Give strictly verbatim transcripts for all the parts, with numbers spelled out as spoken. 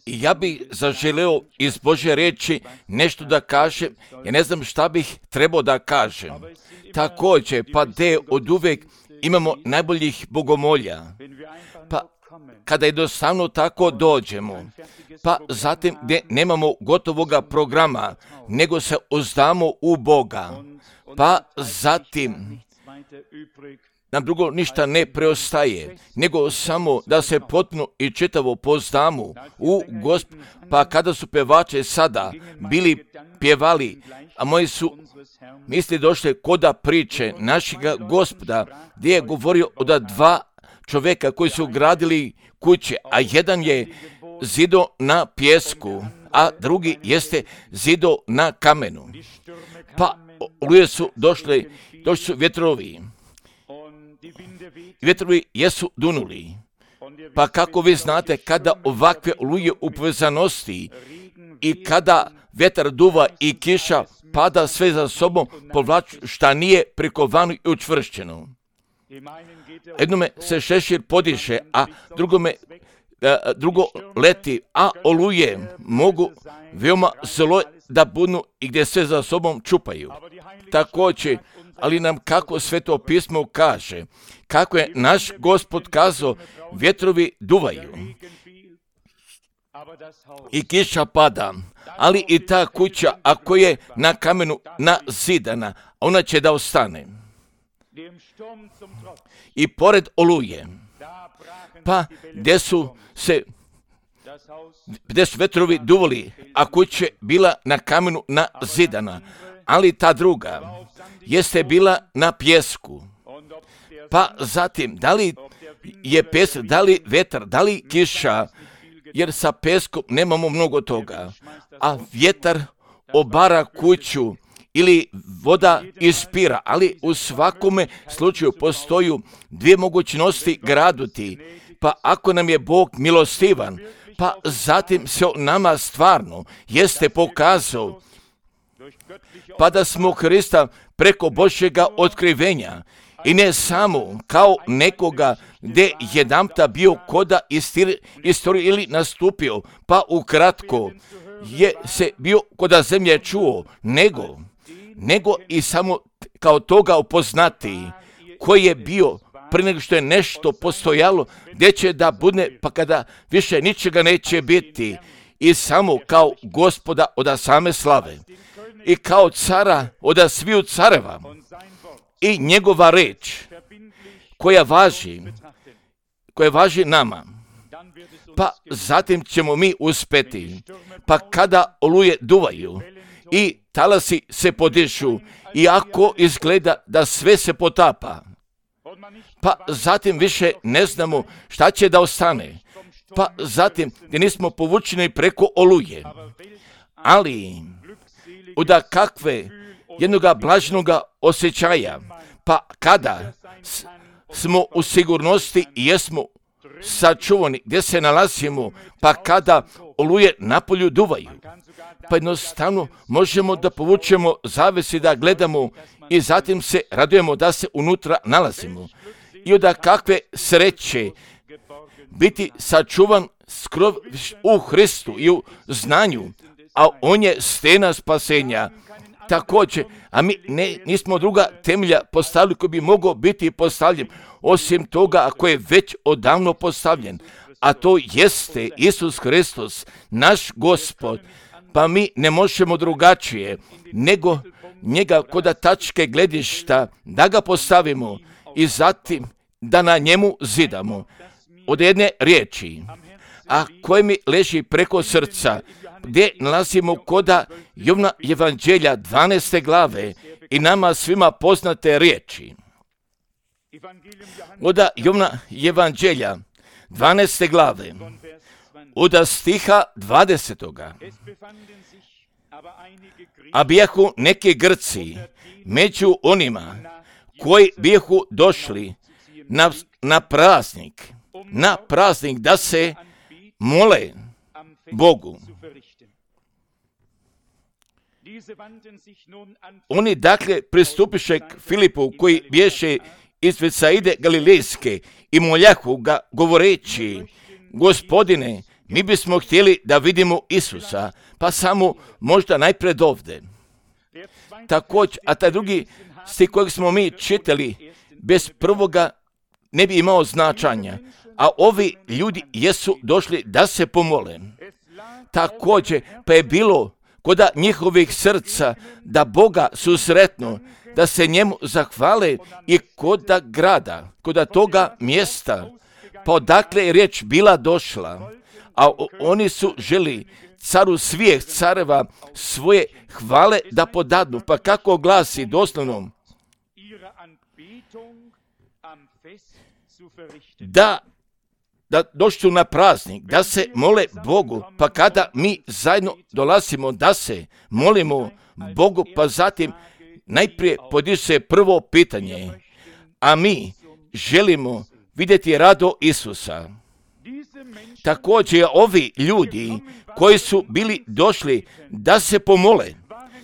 I ja bih zaželeo iz Božje riječi nešto da kažem, ja ne znam šta bih trebao da kažem. Također, pa de od uvijek imamo najboljih bogomolja, pa kada jednostavno tako dođemo, pa zatim gdje nemamo gotovoga programa, nego se uzdamo u Boga, pa zatim nam drugo ništa ne preostaje, nego samo da se potpuno i čitavo poznamo u Gospod. Pa kada su pevači sada bili pjevali, a moji su misli došle koda priče našega Gospoda, gdje je govorio o da dva čovjeka koji su gradili kuće, a jedan je zido na pjesku, a drugi jeste zido na kamenu. Pa oluje su došli, došli su vjetrovi. Vjetrovi jesu dunuli. Pa kako vi znate, kada ovakve oluje u povezanosti i kada vjetar duva i kiša pada sve za sobom, povlaču šta nije prikovano i učvršćeno. Jednome se šešir podiše, a drugome, a, drugo leti, a oluje mogu veoma zlo da budnu i gdje sve za sobom čupaju. Također, ali nam kako Sveto pismo kaže, kako je naš Gospod kazao, vjetrovi duvaju i kiša pada, ali i ta kuća, ako je na kamenu nazidana, ona će da ostane. I pored oluje, pa gdje su se gdje su vetrovi duvali, a kuća bila na kamenu nazidana, ali ta druga jeste bila na pjesku. Pa zatim, da li je pjesak, da li vetar, da li kiša, jer sa peskom nemamo mnogo toga, a vjetar obara kuću ili voda ispira, ali u svakome slučaju postoji dvije mogućnosti graduti. Pa ako nam je Bog milostivan, pa zatim se nama stvarno jeste pokazao, pa da smo Krista preko Božjega otkrivenja i ne samo kao nekoga gdje jedanpta bio koda istorije ili nastupio, pa ukratko je se bio koda zemlje čuo, nego, nego i samo kao toga upoznati koji je bio prije nego što je nešto postojalo, gdje će da bude, pa kada više ničega neće biti, i samo kao Gospoda od same slave i kao cara od sviju careva i njegova reč koja važi, koja važi nama. Pa zatim ćemo mi uspeti. Pa kada oluje duvaju i talasi se podišu i ako izgleda da sve se potapa, pa zatim više ne znamo šta će da ostane. Pa zatim gdje nismo povučeni preko oluje. Ali uda kakve jednoga blažnoga osjećaja, pa kada s, smo u sigurnosti i jesmo sačuvani gdje se nalazimo, pa kada oluje napolju duvaju, pa jednostavno možemo da povučemo zavesi da gledamo i zatim se radujemo da se unutra nalazimo. I onda kakve sreće biti sačuvan skrov u Hristu i u znanju, a on je stena spasenja. Također, a mi ne, nismo druga temelja postavili koji bi mogao biti postavljen, osim toga ako je već odavno postavljen, a to jeste Isus Hristos, naš Gospod, pa mi ne možemo drugačije nego njega koda tačke gledišta da ga postavimo i zatim da na njemu zidamo. Od jedne riječi, a koje mi leži preko srca, gdje nalazimo koda Jovna Evanđelja dvanaeste glave i nama svima poznate riječi. Oda Jovna Evanđelja dvanaeste glave, oda stiha dvadesetoga. A bijahu neki Grci među onima koji bijahu došli na, na praznik, na praznik da se mole Bogu. Oni dakle pristupiše k Filipu koji bješe iz Betsaide Galilejske i moljahu ga govoreći, Gospodine, mi bismo htjeli da vidimo Isusa, pa samo možda najpred ovdje. Također, a taj drugi stih kojeg smo mi čitali, bez prvoga ne bi imao značanja, a ovi ljudi jesu došli da se pomole. Također, pa je bilo kod njihovih srca da Boga susretnu, da se njemu zahvale i kod grada, kod toga mjesta, pa odakle je riječ bila došla, a oni su želi caru svih careva svoje hvale da podadnu. Pa kako glasi doslovno? Da, da došli na praznik, da se mole Bogu, pa kada mi zajedno dolazimo da se molimo Bogu, pa zatim najprije podiže se prvo pitanje, a mi želimo vidjeti rado Isusa. Također ovi ljudi koji su bili došli da se pomole,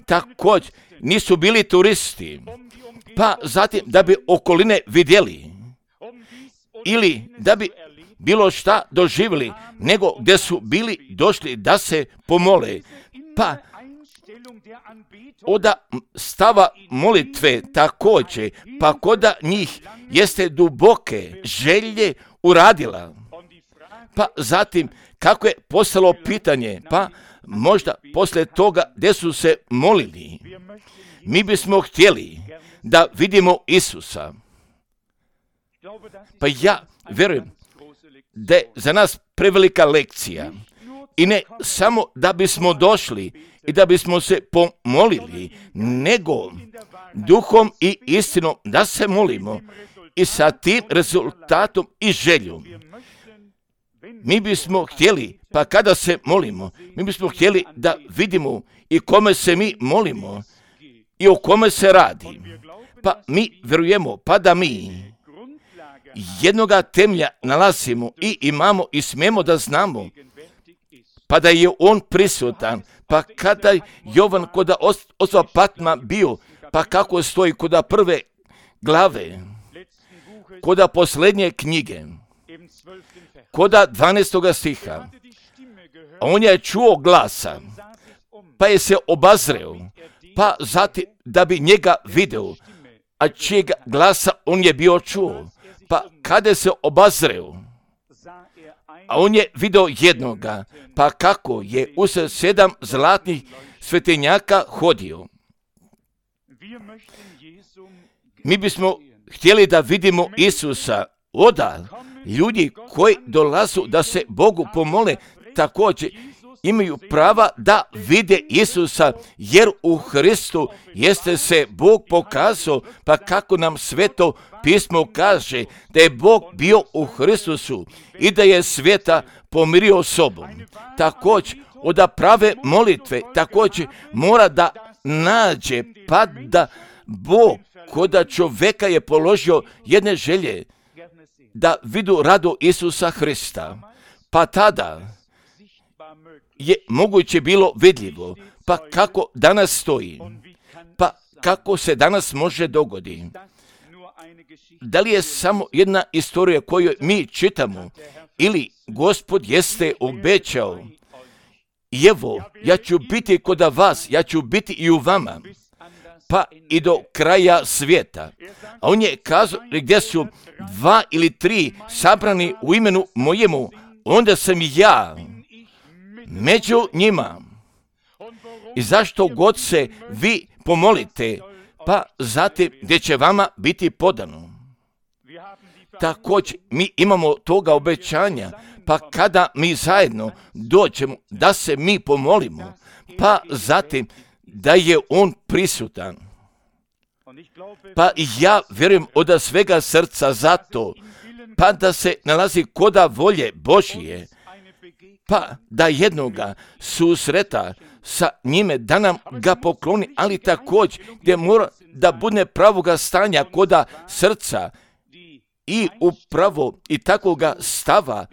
također nisu bili turisti, pa zatim da bi okoline vidjeli ili da bi bilo šta doživjeli, nego gdje su bili došli da se pomole. Pa od stava molitve također, pa kod njih jeste duboke želje uradila. Pa zatim, kako je postalo pitanje, pa možda poslije toga gdje su se molili, mi bismo htjeli da vidimo Isusa. Pa ja vjerujem da je za nas prevelika lekcija i ne samo da bismo došli i da bismo se pomolili, nego duhom i istinom da se molimo i sa tim rezultatom i željom. Mi bismo htjeli, pa kada se molimo, mi bismo htjeli da vidimo i kome se mi molimo i o kome se radi. Pa mi vjerujemo, pa da mi jednoga temelja nalazimo i imamo i smijemo da znamo, pa da je on prisutan, pa kada je Jovan kod ostva Patma bio, pa kako stoji kod prve glave, kod posljednje knjige, kod dvanaestoga stiha, on je čuo glasa, pa je se obazreo, pa zatim da bi njega video, a čijega glasa on je bio čuo, pa kada se obazreo, a on je video jednoga, pa kako je usred sedam zlatnih svetenjaka hodio. Mi bismo htjeli da vidimo Isusa. Oda, ljudi koji dolazu da se Bogu pomole, također imaju prava da vide Isusa, jer u Hristu jeste se Bog pokazao, pa kako nam Sveto pismo kaže da je Bog bio u Hristusu i da je svijeta pomirio sobom. Također, od prave molitve, također mora da nađe, pa da Bog kod čovjeka je položio jedne želje, da vidu rado Isusa Hrista, pa tada je moguće bilo vidljivo, pa kako danas stoji, pa kako se danas može dogoditi. Da li je samo jedna istorija koju mi čitamo, ili Gospod jeste obećao, i evo, ja ću biti kod vas, ja ću biti i u vama, pa i do kraja svijeta. A on je kazao, gdje su dva ili tri sabrani u imenu mojemu, onda sam i ja među njima. I zašto god se vi pomolite, pa zatim gdje će vama biti podano. Također mi imamo toga obećanja, pa kada mi zajedno dođemo da se mi pomolimo, pa zatim da je on prisutan. Pa ja vjerujem od svega srca zato, pa da se nalazi koda volje Božije, pa da jednoga susreta sa njime, da nam ga pokloni, ali također gdje mora da bude pravoga stanja koda srca i upravo i takvoga stava,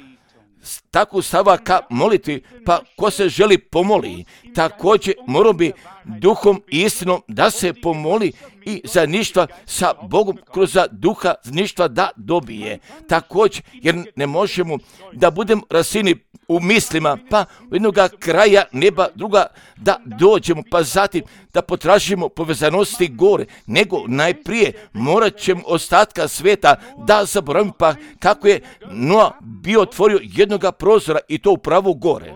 takvu stava ka moliti, pa ko se želi pomoli, također mora bi duhom i istinom da se pomoli i za ništa sa Bogom kroz duha ništa da dobije. Također, jer ne možemo da budemo rasini u mislima, pa u jednoga kraja neba druga da dođemo, pa zatim da potražimo povezanosti gore, nego najprije morat ćemo ostatka sveta da zaboravimo, pa kako je Noa bio otvorio jednoga prozora i to upravo gore.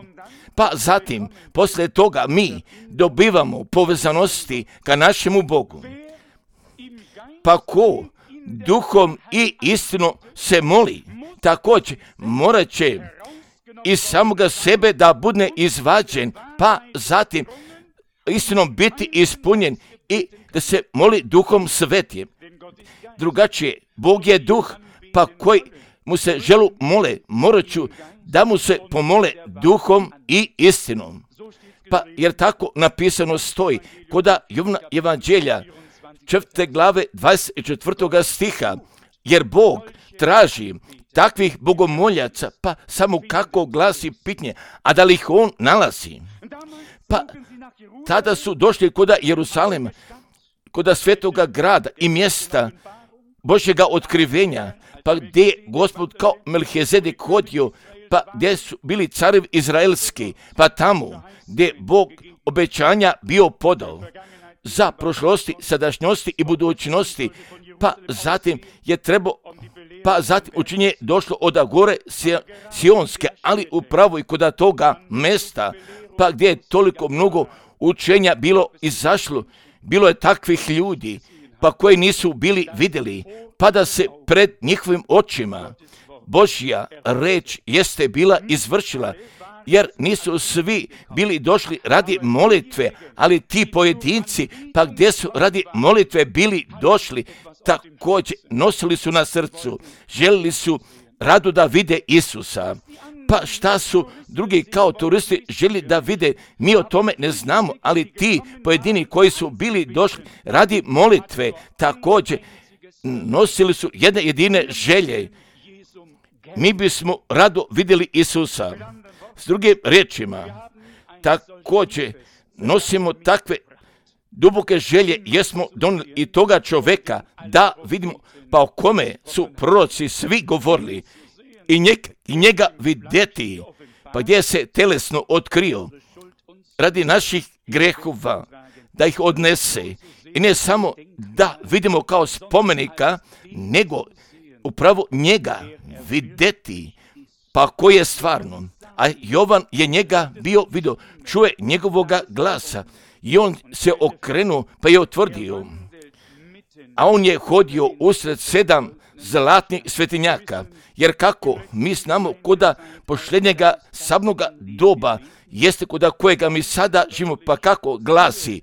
Pa zatim, poslije toga mi dobivamo povezanosti ka našemu Bogu. Pa ko duhom i istinom se moli, također morat će iz samoga sebe da bude izvađen, pa zatim istinom biti ispunjen i da se moli duhom svetim. Drugačije, Bog je duh, pa koji mu se želu mole, morat ću da mu se pomole duhom i istinom. Pa jer tako napisano stoji kod Jovana Evanđelja četvrte glave dvadeset četvrtoga stiha, jer Bog traži takvih bogomoljaca, pa samo kako glasi pitanje, a da li ih on nalazi? Pa tada su došli kod Jerusalema, kod svetoga grada i mjesta Božjega otkrivenja, pa gdje je Gospod kao Melhizedek hodio, pa gdje su bili carevi izraelski, pa tamo gdje Bog obećanja bio podao za prošlosti, sadašnjosti i budućnosti, pa zatim je trebao, pa zatim učinje došlo od gore Sionske, ali upravo i kod toga mesta, pa gdje je toliko mnogo učenja bilo izašlo, bilo je takvih ljudi, pa koji nisu bili vidjeli, pa da se pred njihovim očima Božja reč jeste bila izvršila, jer nisu svi bili došli radi molitve, ali ti pojedinci, pa gdje su radi molitve bili došli, također nosili su na srcu, željeli su rado da vide Isusa. Pa šta su drugi kao turisti želi da vide, mi o tome ne znamo, ali ti pojedini koji su bili došli radi molitve, također nosili su jedne jedine želje. Mi bismo rado vidjeli Isusa. S drugim riječima, također nosimo takve duboke želje, jesmo donijeli i toga čoveka da vidimo, pa o kome su proroci svi govorili i njega, i njega vidjeti, pa gdje se telesno otkrio radi naših grehova, da ih odnese i ne samo da vidimo kao spomenika, nego upravo njega vidjeti, pa koji je stvarno. A Jovan je njega bio vidio, čuje njegovoga glasa i on se okrenuo pa je utvrdio. A on je hodio usred sedam zlatnih svetinjaka, jer kako mi znamo koda posljednjega sabnoga doba jeste koda kojega mi sada živimo, pa kako glasi: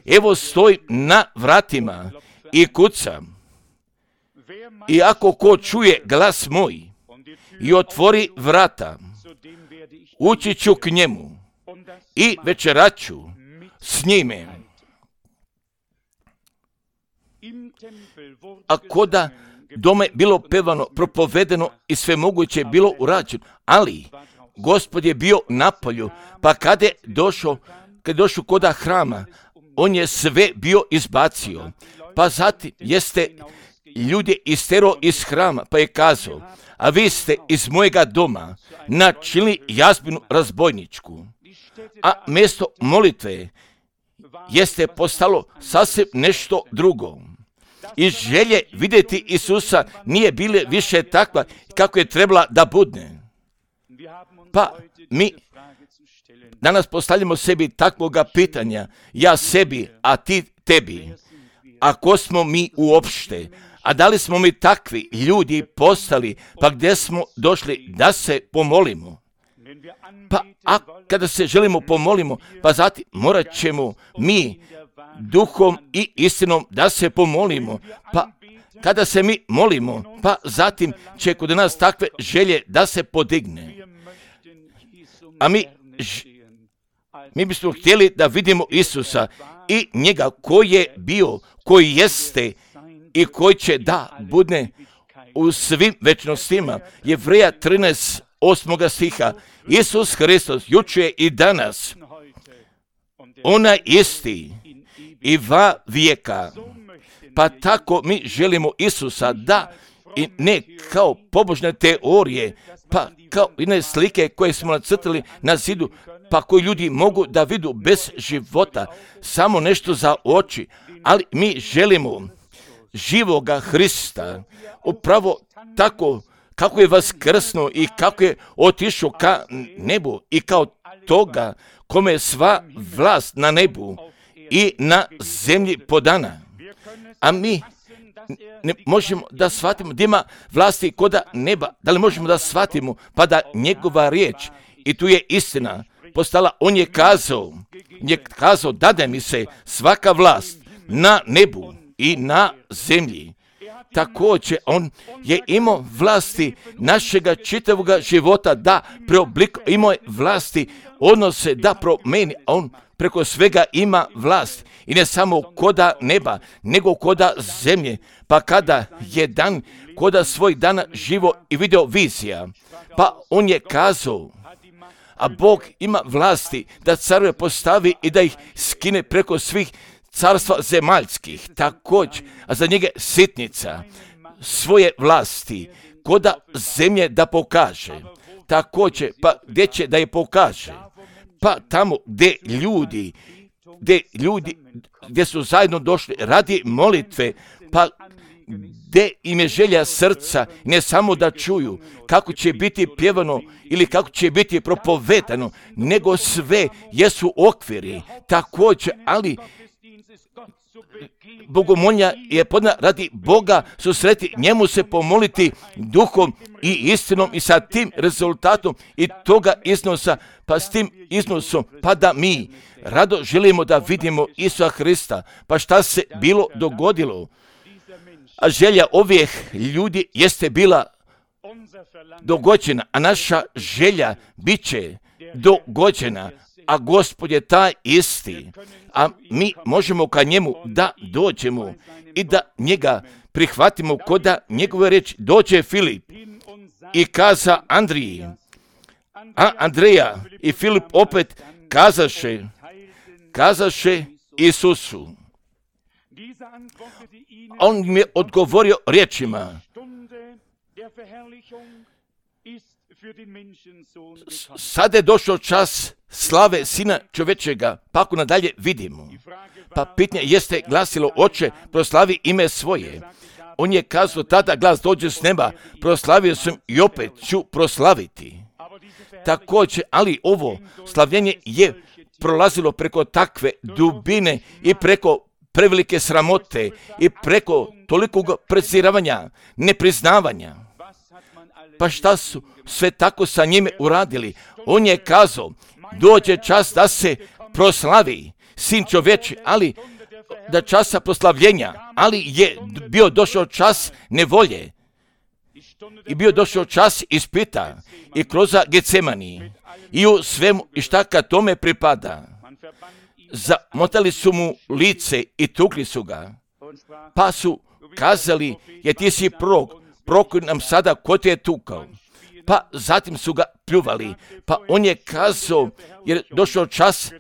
evo stoji na vratima i kucam, i ako ko čuje glas moj i otvori vrata, ući ću k njemu i večeraću s njime. A koda dome bilo pevano, propovedeno i sve moguće bilo urađeno, ali Gospod je bio na polju, pa kad je došao, kad je došao koda hrama, on je sve bio izbacio, pa zatim jeste ljude istero iz hrama, pa je kazao: a vi ste iz mojega doma načinili jazbinu razbojničku, a mjesto molitve jeste postalo sasvim nešto drugo. I želje vidjeti Isusa nije bile više takva kako je trebala da bude. Pa mi danas postavljamo sebi takvoga pitanja, ja sebi, a ti tebi. A ko smo mi uopšte? A da li smo mi takvi ljudi postali, pa gdje smo došli da se pomolimo? Pa a kada se želimo pomolimo, pa zatim morat ćemo mi duhom i istinom da se pomolimo. Pa kada se mi molimo, pa zatim će kod nas takve želje da se podigne. A mi, mi bismo htjeli da vidimo Isusa i njega koji je bio, koji jeste i koji će da bude u svim večnostima. Jevreja trinaest, osmoga stiha. Isus Hristos juče i danas onaj isti i va vijeka. Pa tako mi želimo Isusa, da i ne kao pobožne teorije, pa kao jedne slike koje smo nacrtali na zidu, pa koji ljudi mogu da vidu bez života, samo nešto za oči, ali mi želimo živoga Hrista, upravo tako kako je vaskrsnuo i kako je otišao ka nebu i kao toga kome je sva vlast na nebu i na zemlji podana. A mi ne možemo da shvatimo da ima vlasti koda neba. Da li možemo da shvatimo pa da njegova riječ, i tu je istina, postala, on je kazao, je kazao, dade mi se svaka vlast na nebu i na zemlji. Također, on je imao vlasti našega čitavoga života da preoblikuje, imao je vlasti odnose da promeni, a on preko svega ima vlast. I ne samo koda neba, nego koda zemlje. Pa kada je dan, koda svoj dana živo i video vizija, pa on je kazao, a Bog ima vlasti da carove postavi i da ih skine preko svih carstva zemaljskih, također, a za njega sitnica svoje vlasti koda zemlje da pokaže. Također, pa gdje će da je pokaže? Pa tamo gdje ljudi, gdje ljudi, gdje su zajedno došli radi molitve, pa gdje im je želja srca, ne samo da čuju kako će biti pjevano ili kako će biti propovedano, nego sve jesu okviri, također, ali bogomolja je podna radi Boga susreti, njemu se pomoliti duhom i istinom i sa tim rezultatom i toga iznosa, pa s tim iznosom, pa da mi rado želimo da vidimo Isusa Hrista. Pa šta se bilo dogodilo? A želja ovih ljudi jeste bila dogođena, a naša želja bit će dogođena, a Gospod je taj isti, a mi možemo ka njemu da dođemo i da njega prihvatimo koda njegove reči. Dođe Filip i kaza Andriji, a Andreja i Filip opet kazaše, kazaše Isusu. On mi je odgovorio riječima, sada je došao čas slave Sina čovječega, pa ako nadalje vidimo. Pa pitanje jeste glasilo, Oče, proslavi ime svoje. On je kazao, tada glas dođe s neba, proslavio sam i opet ću proslaviti. Također, ali ovo slavljenje je prolazilo preko takve dubine i preko prevelike sramote i preko tolikog preziravanja, nepriznavanja. Pa šta su sve tako sa njime uradili? On je kazao, dođe čas da se proslavi Sin čovječi, ali da časa proslavljenja, ali je bio došao čas nevolje i bio došao čas ispita i kroz Getsemani i u svemu i šta kad tome pripada. Zamotali su mu lice i tukli su ga, pa su kazali, je ti si prorok, prokoj nam sada ko te je tukao. Pa zatim su ga pljuvali, pa on je kazao, jer došao čas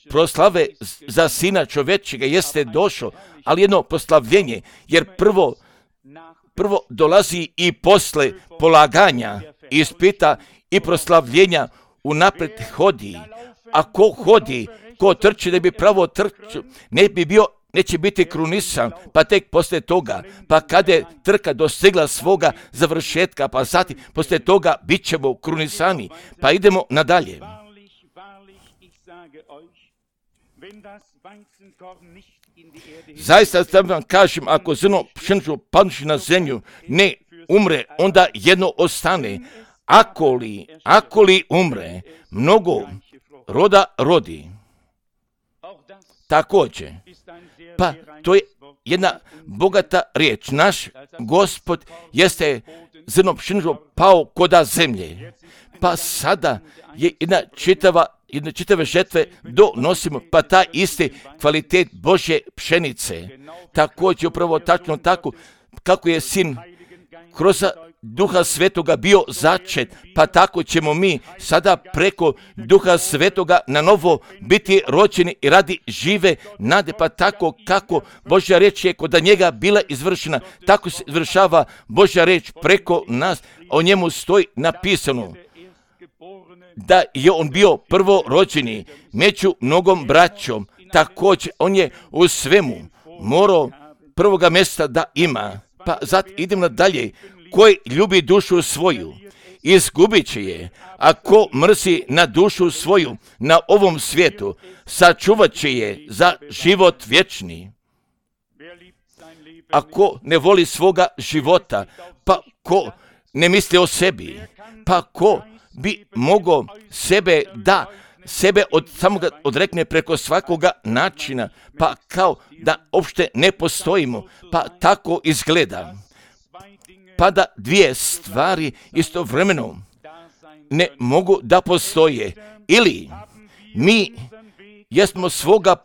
proslave za Sina čovječega, jeste došao, ali jedno proslavljenje, jer prvo, prvo dolazi i posle polaganja, ispita i proslavljenja unaprijed hodi, a ko hodi, ko trči da bi pravo trčao, ne bi bio, neće biti krunisan, pa tek poslije toga, pa kada je trka dostigla svoga završetka, pa zatim poslije toga bit ćemo krunisani. Pa idemo nadalje. Zaista vam kažem, ako zrno pšenično padnuši na zemlju ne umre, onda jedno ostane. Ako li, ako li umre, mnogo roda rodi. Također, pa to je jedna bogata riječ. Naš Gospod jeste zrno pšenično pao koda zemlje. Pa sada je jedna čitava, jedna čitave žetve donosimo, pa ta isti kvalitet Božje pšenice. Također upravo tačno tako kako je Sin kroz Duha Svetoga bio začet, pa tako ćemo mi sada preko Duha Svetoga na novo biti rođeni i radi žive nade, pa tako kako Božja reč je kod njega bila izvršena, tako se izvršava Božja reč preko nas. O njemu stoji napisano da je on bio prvo rođeni među mnogom braćom. Također on je u svemu morao prvoga mjesta da ima. Pa zato idemo dalje. Koji ljubi dušu svoju, izgubit će je, a ko mrzi na dušu svoju na ovom svijetu, sačuvat će je za život vječni. A ko ne voli svoga života, pa ko ne misli o sebi, pa ko bi mogao sebe da sebe od samoga odrekne preko svakoga načina, pa kao da uopšte ne postojimo, pa tako izgleda. Pa da dvije stvari istovremeno ne mogu da postoje. Ili mi jesmo svoga,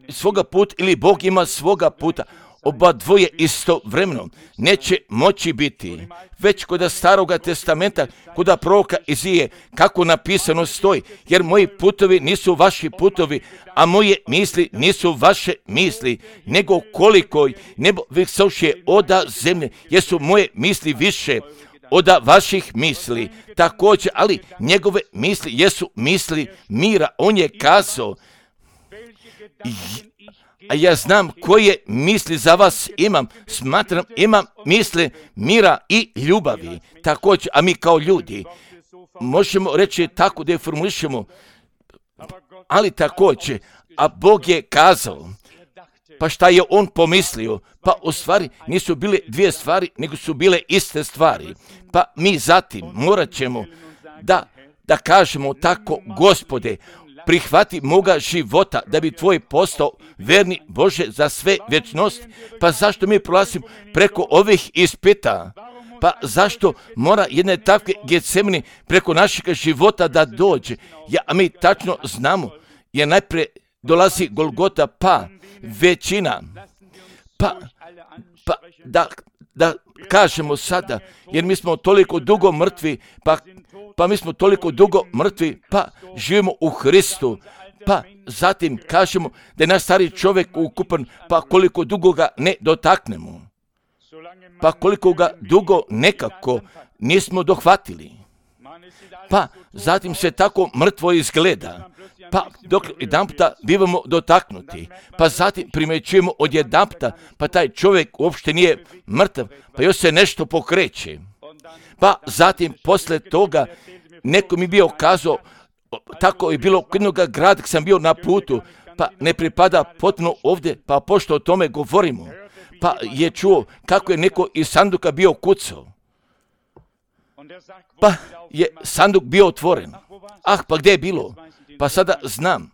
svoga puta ili Bog ima svoga puta. Oba dvoje istovremeno neće moći biti. Već kod Staroga testamenta, kod proroka Izije, kako napisano stoji, jer moji putovi nisu vaši putovi, a moje misli nisu vaše misli, nego koliko nebo visoše oda zemlje, jesu moje misli više oda vaših misli. Također, ali njegove misli jesu misli mira. On je kazao, a ja znam koje misli za vas imam, smatram imam misli mira i ljubavi. Također, a mi kao ljudi možemo reći tako da je formulišemo, ali također, a Bog je kazao, pa šta je on pomislio? Pa u stvari nisu bile dvije stvari, nego su bile iste stvari. Pa mi zatim morat ćemo da, da kažemo tako, Gospode, prihvati moga života da bi tvoj postao verni Bože za sve vječnost. Pa zašto mi prolazimo preko ovih ispita? Pa zašto mora jedne takve Getsemani preko našeg života da dođe? Ja, a mi tačno znamo, jer najprije dolazi Golgota, pa većina, pa, pa da, da kažemo sada, jer mi smo toliko dugo mrtvi, pa Pa mi smo toliko dugo mrtvi, pa živimo u Hristu, pa zatim kažemo da je naš stari čovjek ukupan, pa koliko dugo ga ne dotaknemo, pa koliko ga dugo nekako nismo dohvatili, pa zatim se tako mrtvo izgleda, pa dok jedan puta bivamo dotaknuti, pa zatim primjećujemo od jedan puta, pa taj čovjek uopšte nije mrtav, pa još se nešto pokreće. Pa zatim posle toga neko mi bio kazao, tako je bilo kod jednoga grada kad sam bio na putu, pa ne pripada potpuno ovdje, pa pošto o tome govorimo, pa je čuo kako je neko iz sanduka bio kucao, pa je sanduk bio otvoren. Ah, pa gdje je bilo? Pa sada znam.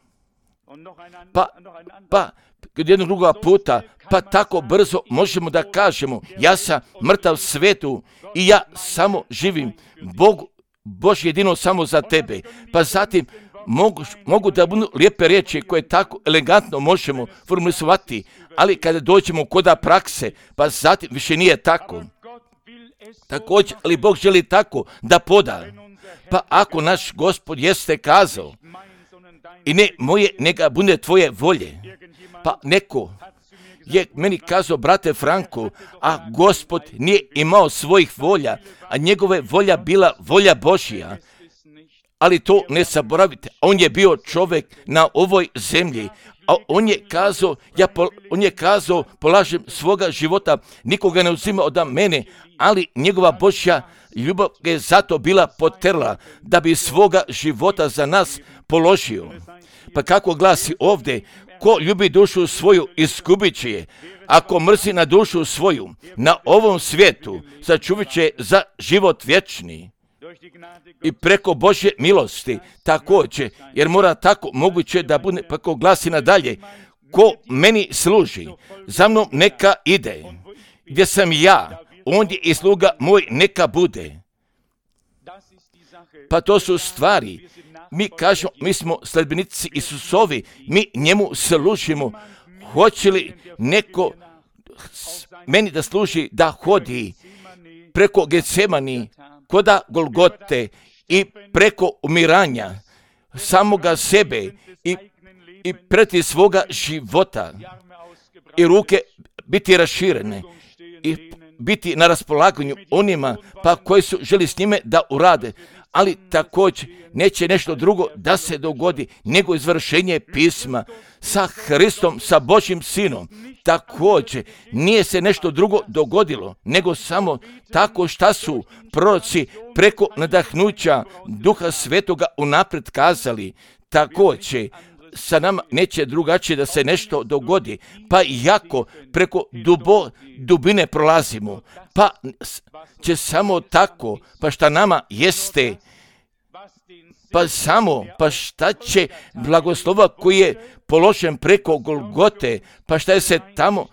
Pa, pa kod jednog drugoga puta, pa tako brzo možemo da kažemo, ja sam mrtav svetu i ja samo živim. Bog, Bož jedino samo za tebe. Pa zatim mogu, mogu da budu lijepe riječi koje tako elegantno možemo formulisovati, ali kada dođemo kod prakse, pa zatim više nije tako. Također, ali Bog želi tako da poda. Pa ako naš Gospod jeste kazao, i ne moje, neka bude tvoje volje, pa neko je meni kazao, brate Franko, a Gospod nije imao svojih volja, a njegove volja bila volja Božja. Ali to ne zaboravite, on je bio čovjek na ovoj zemlji, a on je kazao, ja pol, on je kazao, polažem svoga života, nikoga ne uzima od mene, ali njegova Božja ljubav je zato bila poterla, da bi svoga života za nas položio. Pa kako glasi ovdje, ko ljubi dušu svoju, izgubit će je. Ako mrzi na dušu svoju, na ovom svijetu, sačuvat će za život vječni. I preko Božje milosti, također, jer mora tako moguće da bude, pa ko glasi nadalje, ko meni služi, za mnom neka ide. Gdje sam ja, ondje i sluga moj neka bude. Pa to su stvari. Mi kažemo, mi smo sledbenici Isusovi, mi njemu služimo. Hoće li neko meni da služi da hodi preko Getsemani, koda Golgote i preko umiranja samoga sebe i, i preti svoga života i ruke biti raširene i biti na raspolaganju onima pa koji su želi s njime da urade, ali također neće nešto drugo da se dogodi nego izvršenje pisma sa Hristom, sa Božjim Sinom. Također nije se nešto drugo dogodilo nego samo tako šta su proroci preko nadahnuća Duha Svetoga unaprijed kazali. Također sa nama neće drugačije da se nešto dogodi, pa iako preko dubo, dubine prolazimo, pa će samo tako, pa šta nama jeste, pa samo, pa šta će blagoslova koji je položen preko Golgote, pa šta je se tamo,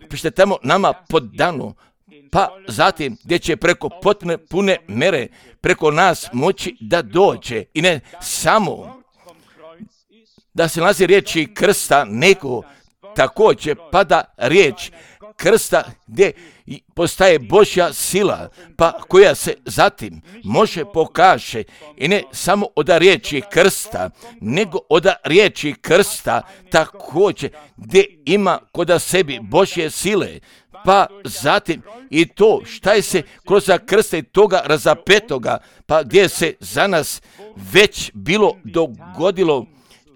pa šta je tamo nama podano, pa zatim gdje će preko potpune pune mere preko nas moći da dođe i ne samo da se nalazi riječi krsta, nego također pada riječ krsta gdje postaje Božja sila, pa koja se zatim može pokaže i ne samo od riječi krsta, nego od riječi krsta također gdje ima kod sebi Božje sile, pa zatim i to šta je se kroz krsta i toga razapetoga, pa gdje se za nas već bilo dogodilo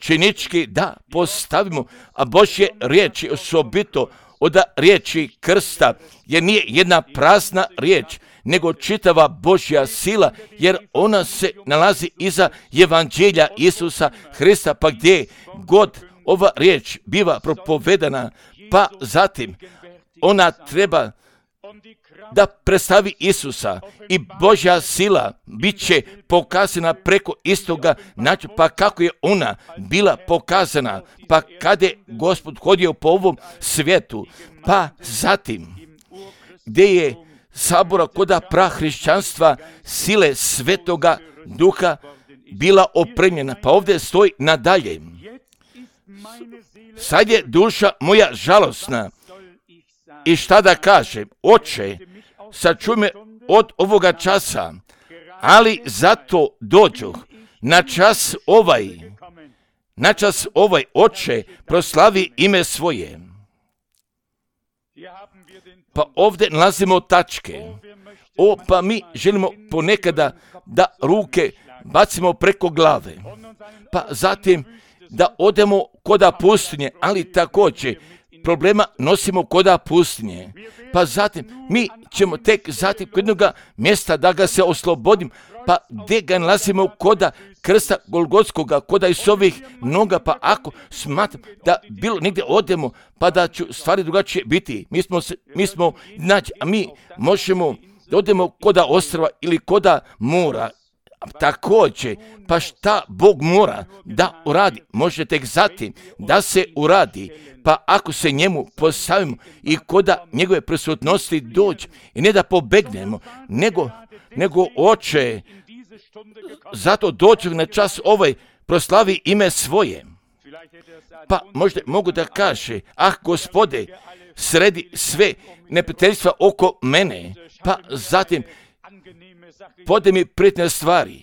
činički da postavimo, a Božje riječi osobito od riječi krsta, jer nije jedna prazna riječ, nego čitava Božja sila, jer ona se nalazi iza evanđelja Isusa Hrista, pa gdje god ova riječ biva propovedana, pa zatim ona treba da predstavi Isusa i Božja sila bit će pokazana preko istoga načina, pa kako je ona bila pokazana, pa kada je Gospod hodio po ovom svijetu, pa zatim gdje je sabora koda prahrišćanstva sile Svetoga Duha bila opremljena, pa ovdje stoji nadalje. Sad je duša moja žalosna i šta da kažem, Oče, sačuvaj me od ovoga časa, ali zato dođoh na čas ovaj, na čas ovaj, Oče, proslavi ime svoje. Pa ovdje nalazimo tačke. O, pa mi želimo ponekada da ruke bacimo preko glave, pa zatim da odemo koda pustinje, ali također problema nosimo koda pustinje, pa zatim mi ćemo tek zatim kod jednog mjesta da ga se oslobodim, pa gdje ga nalazimo koda krsta Golgotskoga, koda iz ovih noga, pa ako smatram da bilo negdje odemo, pa da ću stvari drugačije biti, mi smo, se, mi smo znači, a mi možemo da odemo koda ostrva ili koda mora. Također, pa šta Bog mora da uradi, može tek zatim da se uradi, pa ako se njemu postavimo i koda njegove prisutnosti dođe i ne da pobegnemo, nego, nego Oče, zato dođe na čas ovaj, proslavi ime svoje. Pa možda mogu da kaže, ah Gospode, sredi sve neprijateljstva oko mene, pa zatim pode mi prijetne stvari.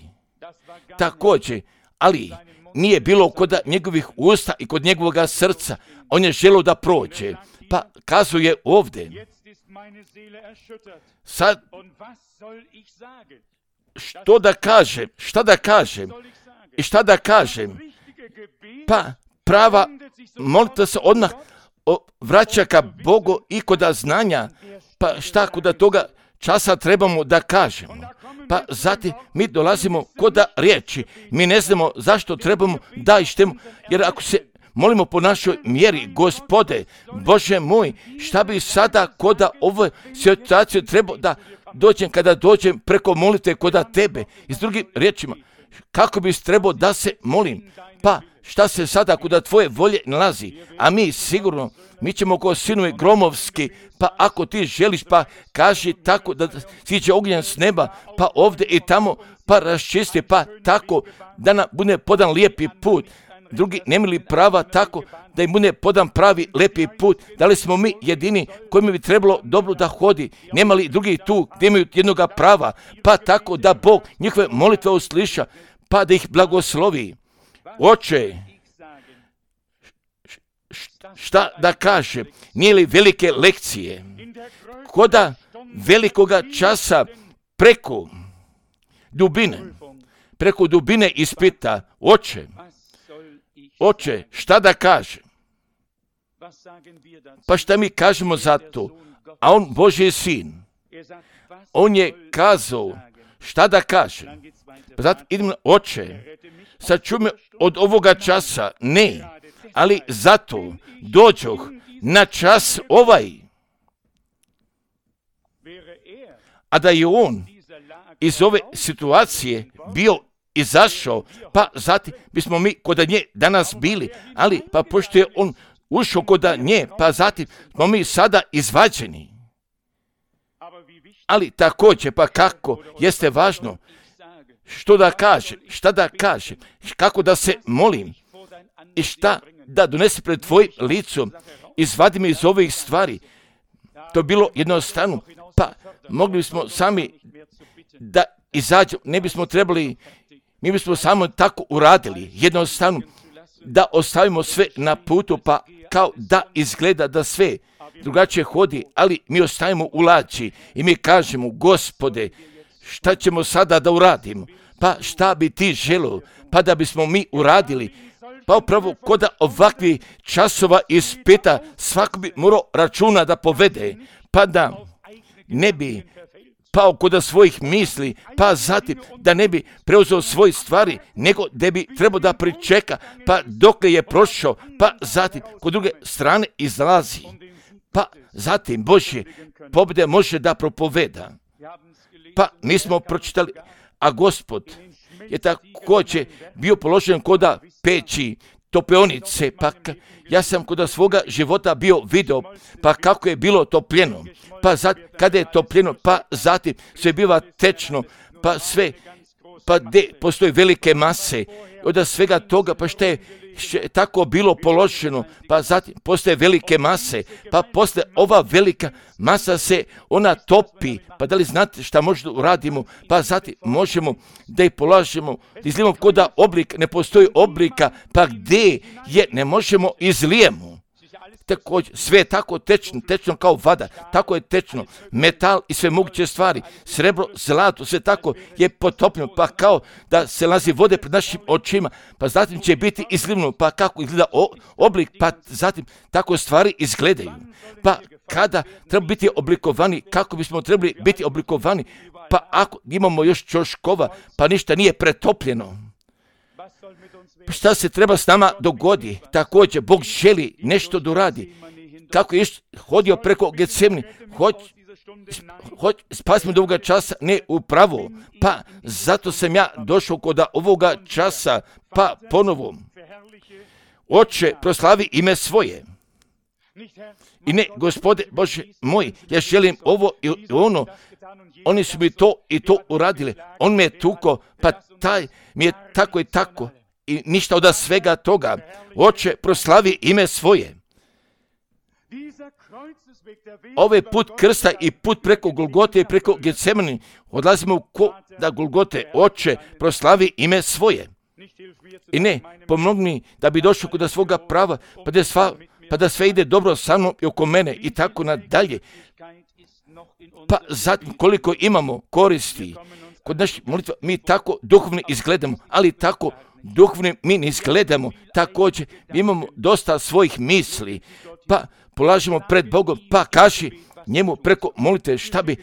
Također, ali nije bilo kod njegovih usta i kod njegovoga srca, on je želio da prođe, pa kazuje ovdje. Sad, što da kažem, šta da kažem i šta da kažem, pa prava molitva se odmah vraća ka Bogu i kod znanja, pa šta kod toga časa trebamo da kažemo. Pa zatim mi dolazimo kod riječi, mi ne znamo zašto trebamo da ištemo, jer ako se molimo po našoj mjeri, Gospode, Bože moj, šta bi sada kod ovoj situaciji trebao da dođem kada dođem preko molitve kod tebe, i s drugim riječima, kako bi trebao da se molim, pa šta se sada kod tvoje volje nalazi, a mi sigurno, mi ćemo ko sinovi gromovski, pa ako ti želiš, pa kaži tako da siđe ognjen s neba, pa ovdje i tamo, pa raščisti, pa tako da nam bude podan lijepi put, drugi nemali prava tako da im bude podan pravi, lepi put. Da li smo mi jedini kojima bi trebalo dobro da hodi? Nemali drugi tu gdje imaju jednoga prava, pa tako da Bog njihove molitve usliša, pa da ih blagoslovi. Oče, šta da kaže, nije li velike lekcije, koda velikoga časa preko dubine, preko dubine ispita, oče, oče, šta da kaže? Pa šta mi kažemo za to? A on, Božji sin, on je kazao, šta da kaže? Pa zato idemo, oče, sačuvaj me od ovoga časa, ne, ali zato dođoh na čas ovaj. A da je on iz ove situacije bio izašao, pa zatim bismo mi kod nje danas bili, ali pa pošto je on ušao kod nje, pa zatim smo mi sada izvađeni. Ali također, pa kako, jeste važno, što da kaže, šta da kaže, kako da se molim i šta da donese pred tvojim licom, izvadi me iz ovih stvari. To je bilo jednostavno, pa mogli bismo sami da izađemo, ne bismo trebali, mi bismo samo tako uradili, jednostavno da ostavimo sve na putu, pa kao da izgleda da sve drugačije hodi, ali mi ostavimo u lači i mi kažemo, Gospode, šta ćemo sada da uradimo? Pa šta bi ti želio? Pa da bismo mi uradili, pa upravo kod ovakvih časova ispita svako bi morao računa da povede, pa da ne bi pao kod svojih misli, pa zatim da ne bi preuzeo svoje stvari, nego da bi trebao da pričeka, pa dokle je prošao, pa zatim kod druge strane izlazi, pa zatim Božje pobjede može da propoveda. Pa mi smo pročitali, a Gospod je također bio položen kod peći, topionice, pa ja sam kod svoga života bio video, pa kako je bilo topljeno, pa zatim kada je topljeno, pa zatim sve biva tečno, pa sve, pa gdje postoje velike mase, od svega toga, pa što je še tako bilo položeno, pa zatim postoje velike mase, pa posle ova velika masa se ona topi, pa da li znate šta možda uradimo, pa zatim možemo da ih polažemo, izlijemo kod oblik, ne postoji oblika, pa gdje je ne možemo izlijemo. Također, sve je tako tečno, tečno kao voda, tako je tečno, metal i sve moguće stvari, srebro, zlato, sve tako je potopljeno, pa kao da se lazi vode pred našim očima, pa zatim će biti izlivno, pa kako izgleda oblik, pa zatim tako stvari izgledaju. Pa kada treba biti oblikovani, kako bismo trebali biti oblikovani, pa ako imamo još čoškova, pa ništa nije pretopljeno. Šta se treba s nama dogodi? Također, Bog želi nešto da uradi. Kako je hodio preko Getsemani, hoć, hoć, spasimo do ovoga časa, ne upravo. Pa zato sam ja došao kod ovoga časa, pa ponovo. Oče, proslavi ime svoje. I ne, Gospode Bože moj, ja želim ovo i ono. Oni su mi to i to uradili. On me je tuko, pa taj mi je tako i tako. I ništa od svega toga. Oče, proslavi ime svoje. Ovaj put krsta i put preko Golgote i preko Getsemani, odlazimo u koda Golgote. Oče, proslavi ime svoje. I ne, pomogni da bi došao kod svoga prava, pa da, sva, pa da sve ide dobro sa mnom i oko mene i tako nadalje. Pa zatim koliko imamo koristi kod naših molitva, mi tako duhovni izgledamo, ali tako duhovni mi ne izgledamo. Također imamo dosta svojih misli, pa polažemo pred Bogom, pa kaži njemu preko molite šta bi,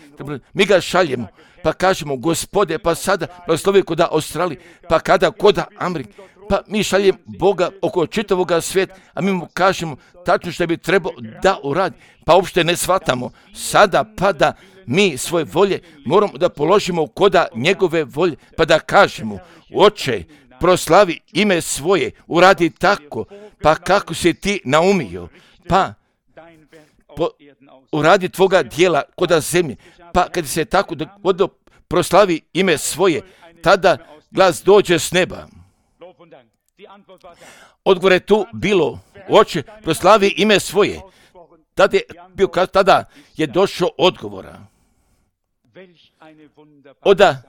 mi ga šaljemo, pa kažemo Gospode, pa sada blagoslovi kod Australije, pa kada kod Amerike, pa mi šaljemo Boga oko čitavoga svijeta, a mi mu kažemo tačno što bi trebao da uradi, pa uopšte ne shvatamo. Sada pa da mi svoje volje moramo da položimo kod njegove volje, pa da kažemo Oče, proslavi ime svoje, uradi tako, pa kako si ti naumio, pa po, uradi tvoga dijela kod zemlje, pa kad se tako dogodilo, proslavi ime svoje, tada glas dođe s neba. Odgovor je tu bilo, oče, proslavi ime svoje. Tada je, bio, tada je došao odgovora. Oda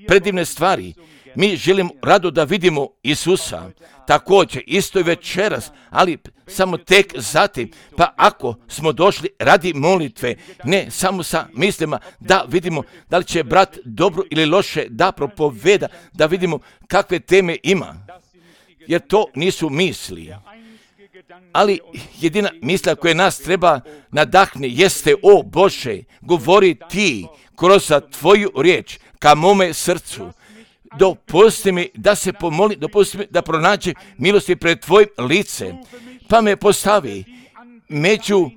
predivne stvari. Mi želimo rado da vidimo Isusa. Također, isto i večeras, ali samo tek zatim. Pa ako smo došli radi molitve, ne samo sa mislima da vidimo da li će brat dobro ili loše da propoveda, da vidimo kakve teme ima. Jer to nisu misli. Ali jedina misla koja nas treba nadahne jeste, o Bože, govori ti kroz tvoju riječ ka mome srcu. Dopusti mi da se pomoli, dopusti mi da pronađe milosti pred tvojim licem, pa me postavi među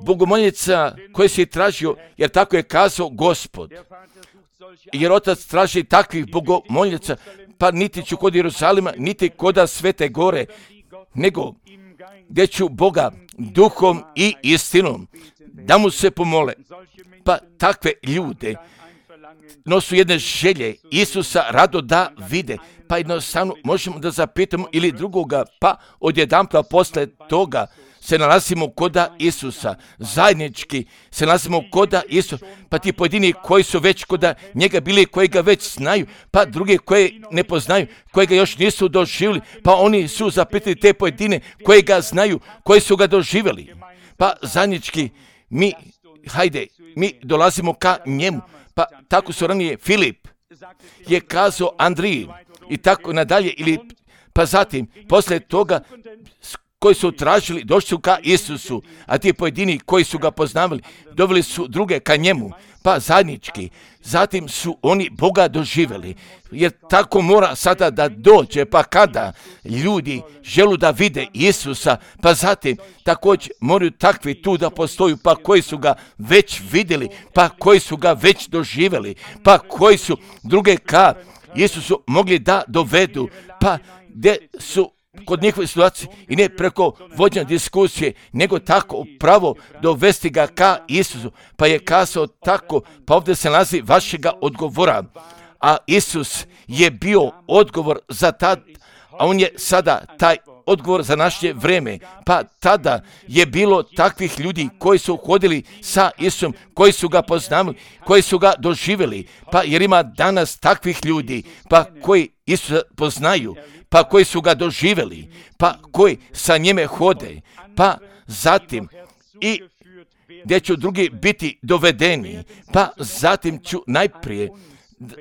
bogomoljica koje si tražio, jer tako je kazao Gospod. Jer Otac traži takvih bogomoljica, pa niti ću kod Jeruzalema, niti kod Svete gore, nego gdje ću Boga duhom i istinom da mu se pomole. Pa takve ljude nosu jedne želje Isusa rado da vide, pa jednostavno možemo da zapitamo ili drugoga, pa odjedanput posle toga se nalazimo koda Isusa, zajednički se nalazimo koda Isusa, pa ti pojedini koji su već koda njega bili, koji ga već znaju, pa drugi koji ne poznaju, koji ga još nisu doživjeli, pa oni su zapitali te pojedine koji ga znaju, koji su ga doživjeli. Pa zajednički mi, hajde, mi dolazimo ka njemu. Pa tako su ranije Filip je kazao Andriji i tako nadalje, ili pa zatim poslije toga koji su tražili, došli su ka Isusu, a ti pojedini koji su ga poznavali, doveli su druge ka njemu, pa zajednički. Zatim su oni Boga doživjeli, jer tako mora sada da dođe, pa kada ljudi želu da vide Isusa, pa zatim također moraju takvi tu da postoju, pa koji su ga već vidjeli, pa koji su ga već doživjeli, pa koji su druge ka Isusu mogli da dovedu, pa gdje su kod njihove situacije i ne preko vođenja diskusije, nego tako upravo dovesti ga ka Isusu. Pa je kazao tako, pa ovdje se nalazi vašega odgovora. A Isus je bio odgovor za tad, a on je sada taj odgovor za naše vrijeme. Pa tada je bilo takvih ljudi koji su hodili sa Isusom, koji su ga poznavali, koji su ga doživjeli. Pa jer ima danas takvih ljudi, pa koji Isusa poznaju, pa koji su ga doživjeli, pa koji sa njime hode, pa zatim i gdje ću drugi biti dovedeni, pa zatim ću najprije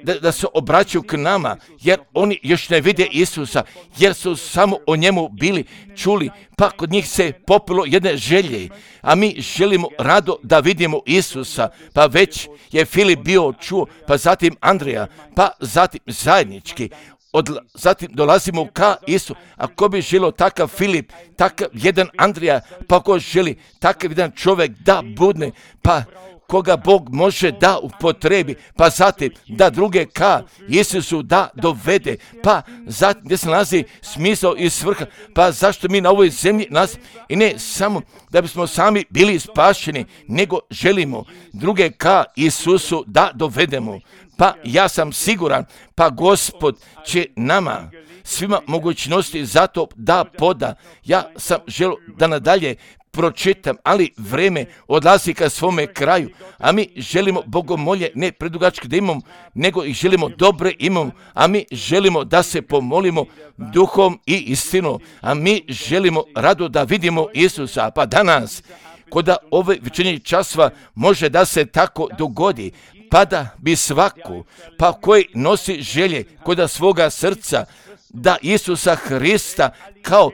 da, da se obraćaju k nama, jer oni još ne vide Isusa, jer su samo o njemu bili čuli, pa kod njih se popilo jedne želje, a mi želimo rado da vidimo Isusa, pa već je Filip bio čuo, pa zatim Andrija, pa zatim zajednički, Od, zatim dolazimo ka Isu, a ko bi želio takav Filip, takav jedan Andrija, pa ko želi takav jedan čovjek da budne, pa koga Bog može da upotrebi, pa zatim da druge ka Isusu da dovede, pa zatim gdje se nalazi smisao i svrha, pa zašto mi na ovoj zemlji nas i ne samo da bismo sami bili spašeni, nego želimo druge ka Isusu da dovedemo. Pa ja sam siguran, pa Gospod će nama svima mogućnosti za to da poda. Ja sam želio da nadalje pročitam, ali vreme odlazi ka svome kraju, a mi želimo bogomolje ne predugačke da imamo, nego ih želimo dobre imamo, a mi želimo da se pomolimo duhom i istinom, a mi želimo rado da vidimo Isusa, pa danas koda ove večernjih časova može da se tako dogodi, pa da bi svako, pa koji nosi želje koda svoga srca, da Isusa Hrista kao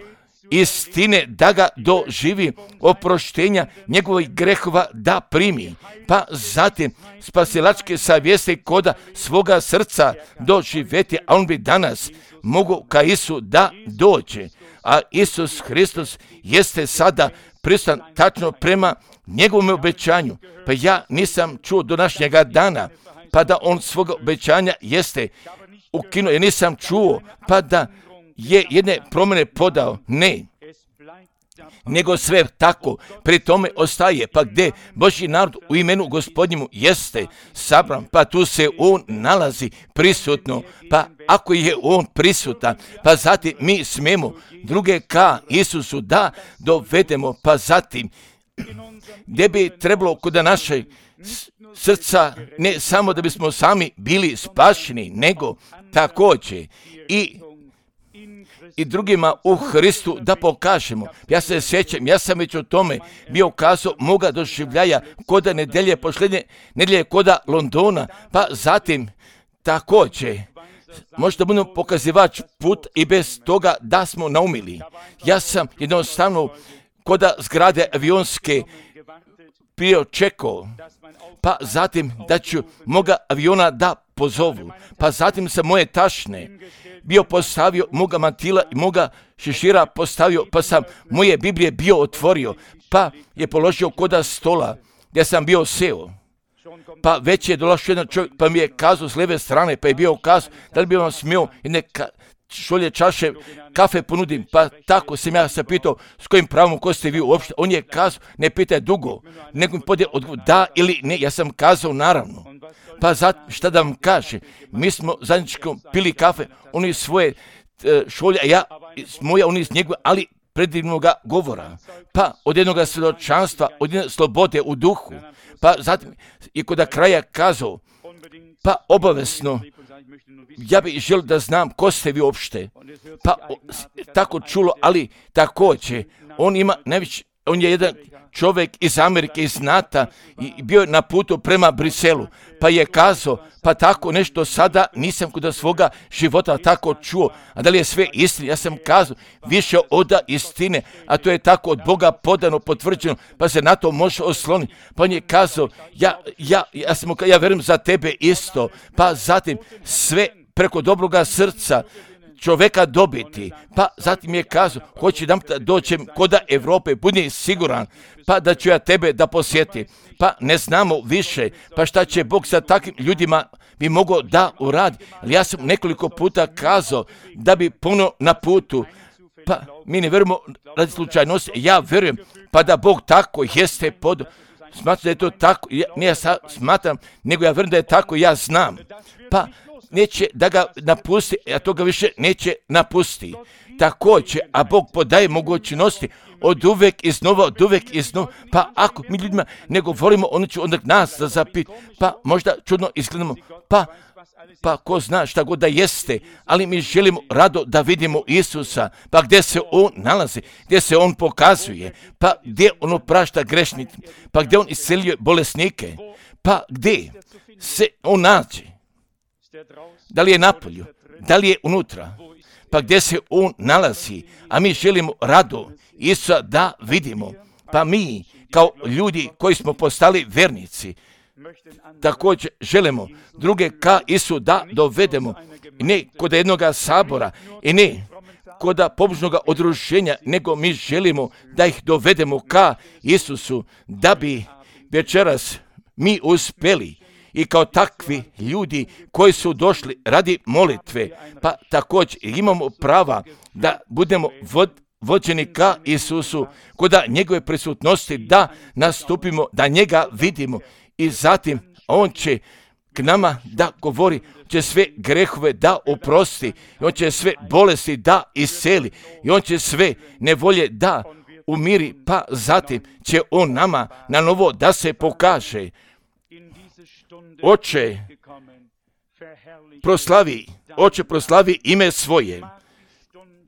istine da ga doživi, oproštenja njegovih grehova da primi, pa zatim spasilačke savjesti koda svoga srca doživjeti, a on bi danas mogu ka Isu da dođe, a Isus Hristos jeste sada prisutan tačno prema njegovom obećanju, pa ja nisam čuo do današnjega dana, pa da on svoga obećanja jeste ukinuo, ja nisam čuo, pa da je jedne promjene podao, ne. nego sve tako pri tome ostaje. Pa gdje Božji narod u imenu Gospodnjemu jeste sabran, pa tu se on nalazi prisutno. Pa ako je on prisutan, pa zatim mi smemo druge ka Isusu da dovedemo, pa zatim gdje bi trebalo kod naše srca, ne samo da bismo sami bili spašeni, nego također i i drugima u Hristu da pokažemo. Ja se sjećam, ja sam već o tome bio kazao moga doživljaja koda nedelje, posljednje nedelje koda Londona, pa zatim također možda budemo pokazivač put i bez toga da smo naumili. Ja sam jednostavno koda zgrade avionske bio čekao, pa zatim da ću moga aviona da pozovu, pa zatim sam moje tašne bio postavio, moga mantila i moga šešira postavio, pa sam moje Biblije bio otvorio, pa je položio koda stola gdje sam bio seo. Pa već je došao jedan čovjek, pa mi je kazao s lijeve strane, pa je bio kazao da li bi vam smio jedne ka, šolje čaše kafe ponudim, pa tako sam ja se pitao s kojim pravom, ko ste vi uopšte. On je kazao, ne pitaj dugo, nego mi podje odgovor da ili ne. Ja sam kazao naravno. Pa zato šta da vam kaže, mi smo zajedničko pili kafe, oni svoje e, šolje, a ja moja, oni iz njegove, ali predivnoga govora, pa od jednog svjedočanstva, od jedne slobode u duhu, pa zatim i kod kraja kazao, pa obavezno, ja bih želio da znam ko ste vi uopšte, pa o, tako čulo, ali također, on ima najveći, on je jedan čovjek iz Amerike, iz NATO i bio je na putu prema Briselu, pa je kazao, pa tako nešto sada nisam kod svoga života tako čuo, a da li je sve istina? Ja sam kazao, više od istine, a to je tako od Boga podano, potvrđeno, pa se na to može osloniti. Pa on je kazao, ja, ja, ja, sam, ja verujem za tebe isto, pa zatim sve preko dobroga srca čovjeka dobiti, pa zatim je kazao, hoće da dođem koda Evrope, budi siguran, pa da ću ja tebe da posjetim, pa ne znamo više, pa šta će Bog sa takvim ljudima bi mogao da uradi, ali ja sam nekoliko puta kazao da bi puno na putu, pa mi ne vjerujemo radi slučajnosti, ja vjerujem, pa da Bog tako jeste pod, smatram da je to tako, ja, ne ja smatram, nego ja vjerujem da je tako, ja znam, pa neće da ga napusti, a to ga više neće napusti. Također, a Bog podaje mogućnosti od uvek iznova, od uvek iznova, pa ako mi ljudima ne govorimo, ono će onda nas da zapit, pa možda čudno izgledamo, pa, pa ko zna šta god da jeste, ali mi želimo rado da vidimo Isusa, pa gdje se On nalazi, gdje se On pokazuje, pa gdje On oprašta grešnike, pa gdje On isceljuje bolesnike, pa gdje se On nađe. Da li je napolju, da li je unutra, pa gdje se on nalazi, a mi želimo rado Isusa da vidimo, pa mi kao ljudi koji smo postali vernici, također želimo druge ka Isu da dovedemo, ne kod jednog sabora i ne kod pobožnog udruženja, nego mi želimo da ih dovedemo ka Isusu, da bi večeras mi uspjeli i kao takvi ljudi koji su došli radi molitve, pa također imamo prava da budemo vod, vođeni ka Isusu, kod njegove prisutnosti da nastupimo, da njega vidimo i zatim on će k nama da govori, će sve grehove da oprosti, i on će sve bolesti da isceli, i on će sve nevolje da umiri, pa zatim će on nama na novo da se pokaže. Oče, proslavi, Oče, proslavi ime svoje,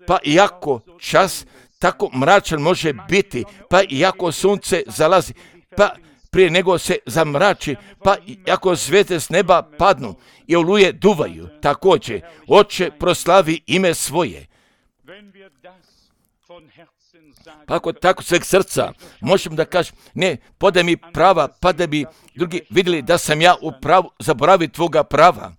pa iako čas tako mračan može biti, pa iako sunce zalazi, pa prije nego se zamrači, pa iako zvijezde s neba padnu i oluje duvaju, također, Oče, proslavi ime svoje. Pa ako tako sveg srca možemo da kažem, ne, podaj mi prava, pa da bi drugi vidjeli da sam ja u pravu, zaboravi tvoga prava,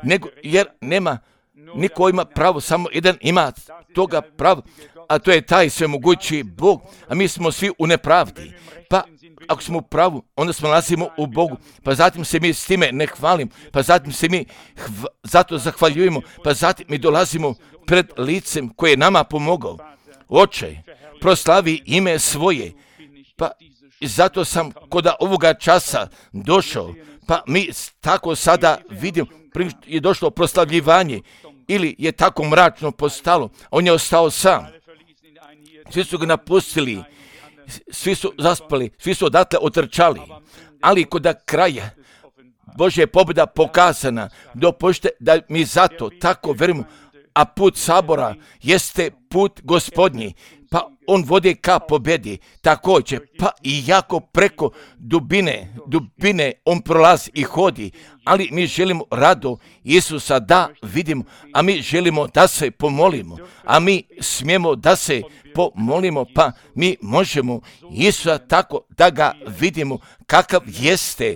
nego, jer nema, niko ima pravo, samo jedan ima toga prava, a to je taj svemogući Bog, a mi smo svi u nepravdi. Pa ako smo u pravu, onda smo nalazimo u Bogu, pa zatim se mi s time ne hvalim, pa zatim se mi hv- zato zahvaljujemo, pa zatim mi dolazimo pred licem koje je nama pomogao. Oče, proslavi ime svoje. Pa i zato sam kod ovoga časa došao, pa mi tako sada vidimo, je došlo proslavljivanje, ili je tako mračno postalo, on je ostao sam. Svi su ga napustili, svi su zaspali, svi su odatle otrčali, ali kod kraja Božja je pobjeda pokazana. Dopušte da mi zato tako verimo, a put sabora jeste put Gospodnji, pa on vodi ka pobjedi također, pa i jako preko dubine, dubine on prolazi i hodi, ali mi želimo rado Isusa da vidimo, a mi želimo da se pomolimo, a mi smijemo da se pomolimo, pa mi možemo Isusa tako da ga vidimo kakav jeste,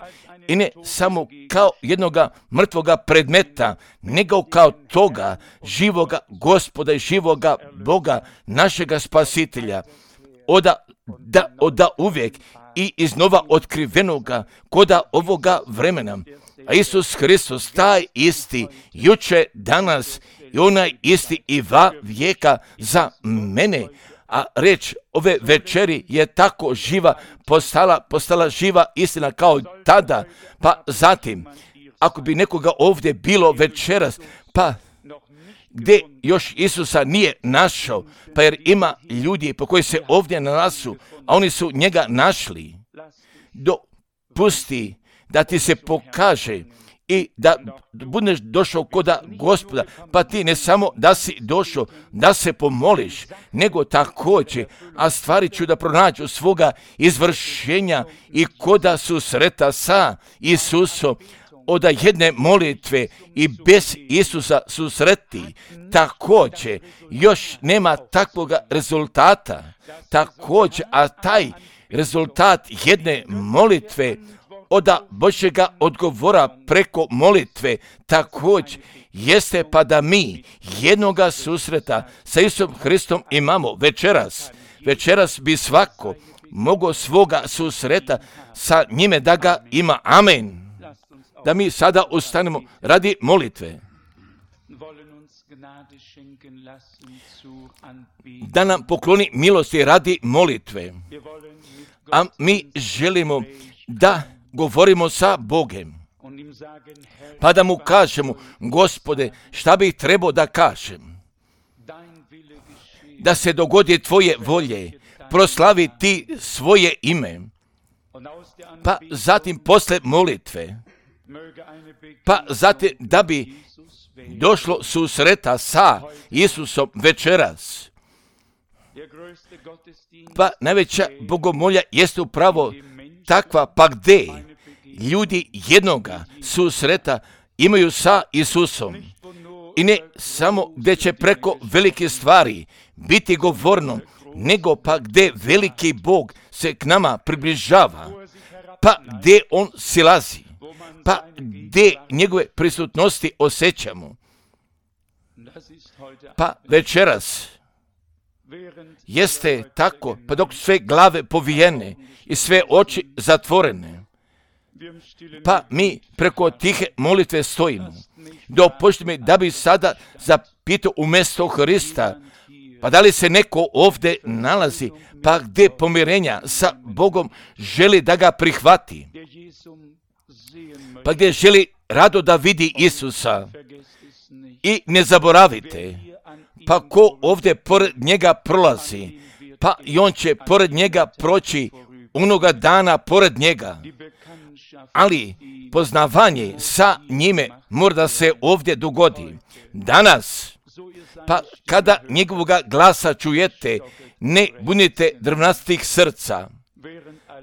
i ne samo kao jednoga mrtvoga predmeta, nego kao toga živoga Gospoda i živoga Boga, našega Spasitelja, oda, da, oda uvijek i iznova otkrivenoga koda ovoga vremena. A Isus Hristos, taj isti, juče, danas i onaj isti i va vijeka za mene. A reč ove večeri je tako živa, postala, postala živa istina kao tada. Pa zatim, ako bi nekoga ovdje bilo večeras, pa gdje još Isusa nije našao, pa jer ima ljudi po koji se ovdje nalazu, a oni su njega našli, dopusti da ti se pokaže i da budeš došao koda Gospoda, pa ti ne samo da si došao da se pomoliš, nego također, a stvari ću da pronađu svoga izvršenja i koda susreta sa Isusom, od jedne molitve i bez Isusa susreti, također još nema takvog rezultata, također, a taj rezultat jedne molitve od Božjega odgovora preko molitve također jeste pa da mi jednoga susreta sa Isusom Hristom imamo večeras. Večeras bi svako mogao svoga susreta sa njime da ga ima. Amen. Da mi sada ustanemo radi molitve. Da nam pokloni milosti radi molitve. A mi želimo da govorimo sa Bogem, pa da mu kažemo, Gospode, šta bih trebao da kažem? Da se dogodi tvoje volje, proslavi ti svoje ime, pa zatim posle molitve, pa zatim da bi došlo susreta sa Isusom večeras. Pa najveća bogomolja jeste upravo takva, pa gdje ljudi jednoga susreta imaju sa Isusom. I ne samo gdje će preko velike stvari biti govorno, nego pa gdje veliki Bog se k nama približava, pa gdje on silazi, pa gdje njegove prisutnosti osjećamo. Pa večeras jeste tako, pa dok sve glave povijene i sve oči zatvorene, pa mi preko tihe molitve stojimo. Dopušti mi da bi sada zapitao umjesto Hrista, pa da li se neko ovdje nalazi, pa gdje pomirenja sa Bogom želi da ga prihvati, pa gdje želi rado da vidi Isusa. I ne zaboravite, pa ko ovdje pored njega prolazi, pa i on će pored njega proći onoga dana pored njega. Ali poznavanje sa njime mora da se ovdje dogodi. Danas, pa kada njegovoga glasa čujete, ne bunite drvnastih srca.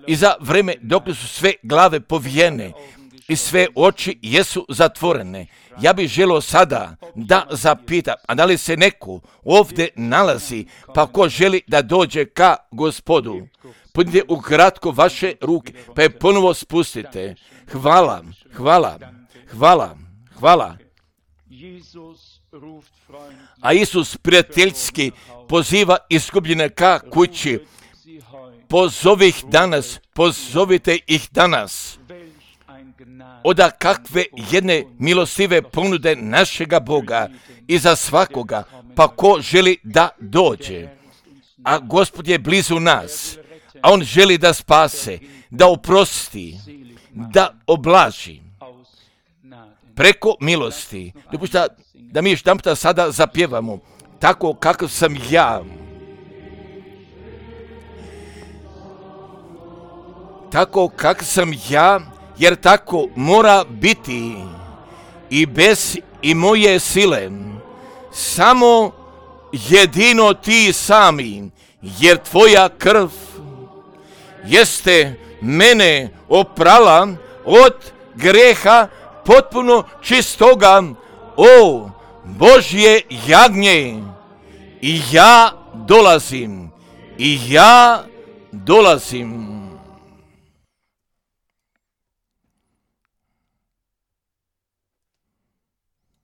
I za vreme dok su sve glave povijene i sve oči jesu zatvorene, ja bih želio sada da zapitam, a da li se neko ovdje nalazi, pa ko želi da dođe ka Gospodu, podignite ukratko vaše ruke, pa je ponovo spustite. Hvala, hvala, hvala, hvala. A Isus prijateljski poziva izgubljene ka kući. Pozovi ih danas, pozovite ih danas. Oda kakve jedne milostive ponude našega Boga i za svakoga, pa ko želi da dođe. a Gospod je blizu nas, a On želi da spase, da oprosti, da oblaži preko milosti. Dopušta da mi još jedanputa sada zapjevamo tako kakav sam ja. Tako kakav sam ja, jer tako mora biti i bez i moje sile. Samo jedino ti sami, jer tvoja krv jeste mene oprala od greha potpuno čistoga, o Božje jagnje. I ja dolazim, i ja dolazim.